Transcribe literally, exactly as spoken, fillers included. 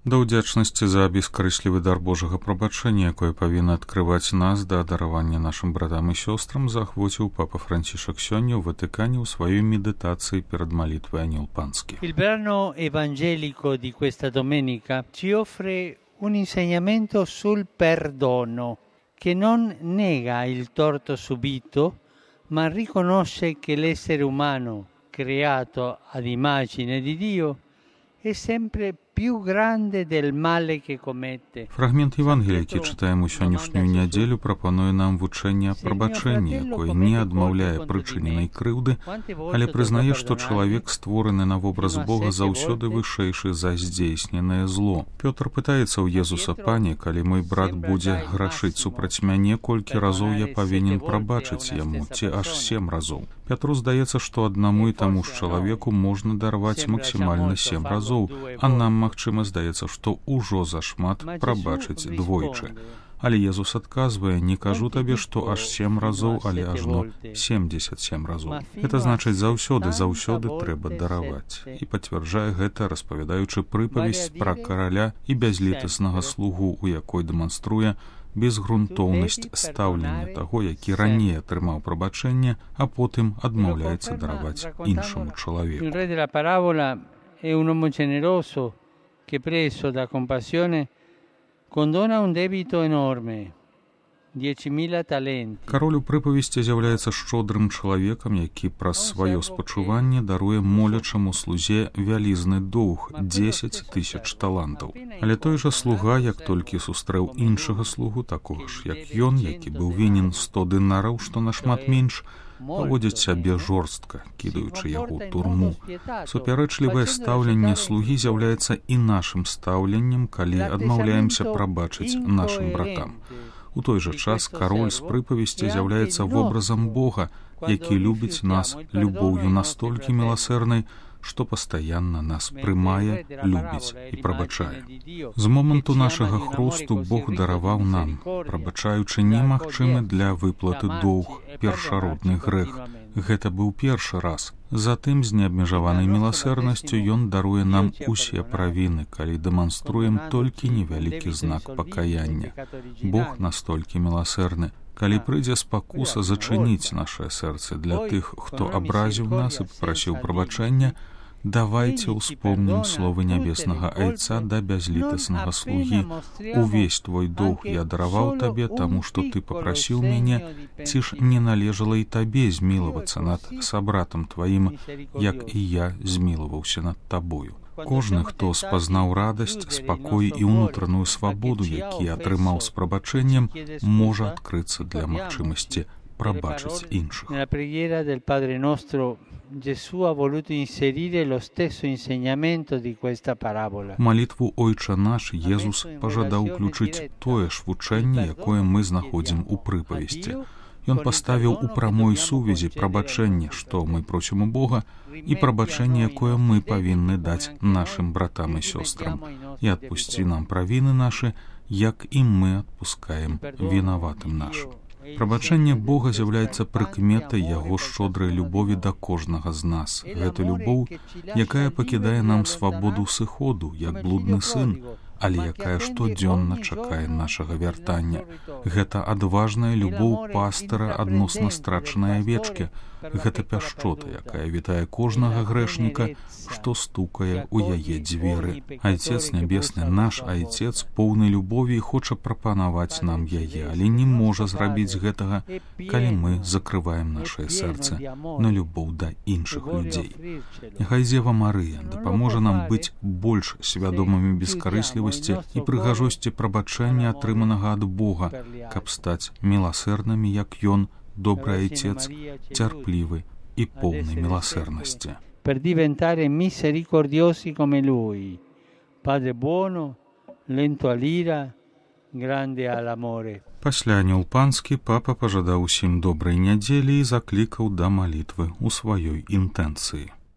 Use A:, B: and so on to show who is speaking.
A: Да ўдзячнасці за бескарыслівы дар Божага прабачэння, якое павінна адкрываць нас да даравання нашым братам і сёстрам, заахвоціў папа Францішак сёння ў Ватыкане ў сваёй медытацыі перад малітвай Анёл Панскі.
B: Il brano evangelico di questa domenica ci offre un insegnamento sul perdono che non nega il torto subito, ma riconosce che l'essere umano, creato ad immagine di Dio, è sempre più grande del male che commette.
A: Фрагмент Евангелія, які чытаем у сённяшнюю нядзелю, прапануе нам вучэнне аб прабачэнні, якое не адмаўляе прычыненай крыўды, але прызнае, што чалавек, створаны на вобраз Бога, заўсёды вышэйшы за здзейсненае зло. Пётр пытаецца ў Езуса: «Пане, калі мой брат будзе грашыць супраць мяне, колькі разоў я павінен прабачыць яму, ці аж сем разоў?» Пятру здаецца, што аднаму і таму ж чалавеку можна дарваць максімальна сем разоў, а нам, магчыма, здаецца, што ўжо зашмат прабачыць двойчы. Але Езус адказвае: «Не кажу табе, што аж сем разоў, але ажно семдзесят сем разоў». Гэта значыць, заўсёды, заўсёды трэба дараваць. І пацвярджае гэта, распавядаючы прыпавесць пра караля і бязлітаснага слугу, у якой дэманструе безгрунтоўнасць стаўлення таго, які раней атрымаў прабачэнне, а потым адмаўляецца дараваць іншаму чалавеку.
B: È un uomo generoso che, preso da compassione, condona un debito enorme, diecimila talenti.
A: Кароль у прыпавесці з'яўляецца шчодрым чалавекам, які праз сваё спачуванне даруе молячаму слузе вялізны доўг дзесяць тысяч талантаў. Але той жа слуга, як толькі сустрэў іншага слугу, такога ж як ён, які быў вінен сто дынараў, што нашмат менш, паводзіць сябе жорстка, кідаючы яго ў турму. Супярэчлівае стаўленне слугі з'яўляецца і нашым стаўленнем, калі адмаўляемся прабачыць нашым братам. У той жа час кароль з прыпавесці з'яўляецца вобразам Бога, які любіць нас любоўю настолькі міласэрнай, што пастаянна нас прымае, любіць і прабачае. З моманту нашага хрусту Бог дараваў нам, прабачаючы немагчымы для выплаты доўг, першародны грэх. Гэта быў першы раз. Затым з неабмежаванай міласэрнасцю ён даруе нам усе правіны, калі дэманструем толькі невялікі знак пакаяння. Бог настолькі міласэрны. Калі прыйдзе спакуса зачыніць нашае сэрца для тых, хто абразіў нас і папрасіў прабачэння, давайте успомнім словы нябеснага Айца да бязлітаснага слугі: «Увесь твой доўг я дараваў табе, таму што ты папрасіў мяне, ці ж не належала і табе змілавацца над сабратам тваім, як і я змілаваўся над табою». Кожны, хто спазнаў радасць, спакой і ўнутраную свабоду, які атрымаў з прабачэннем, можа адкрыцца для магчымасці прабачыць іншых.
B: Gesù ha voluto inserire lo stesso insegnamento di questa parabola.
A: Малітву «Ойча наш» Езус пажадаў уключыць тое ж вучэнне, якое мы знаходзім у прыпавесці. Ён паставіў у прамой сувязі прабачэнне, што мы просім у Бога, і прабачэнне, якое мы павінны даць нашым братам і сёстрам. І адпусці нам правіны нашы, як і мы адпускаем вінаватым нашым. Прабачэнне Бога з'яўляецца прыкметай яго шчодрай любові да кожнага з нас. Гэта любоў, якая пакідае нам свабоду сыходу, як блудны сын, але якая штодзённа чакае нашага вяртання. Гэта адважная любоў пастара адносна страчанай авечкі. Гэта пяшчота, якая вітае кожнага грэшніка, што стукае ў яе дзверы. Айцец нябесны, наш Айцец, поўны любові, хоча прапанаваць нам яе, але не можа зрабіць гэтага, калі мы закрываем нашае сэрца на любоў да іншых людзей. Няхай Дзева Марыя дапаможа нам быць больш свядомымі бескарыслівасці і прыгажосці прабачэння, атрыманага ад Бога, каб стаць міласэрнымі, як Ён, добрый Айцец, цярплівы і поўны міласэрнасці.
B: Per diventare misericordiosi come Lui, Padre buono, lento all'ira, grande all'amore.
A: Пасля Анёл Панскі папа пажадаў усім добрай нядзелі і заклікаў да малітвы ў сваёй інтэнцыі.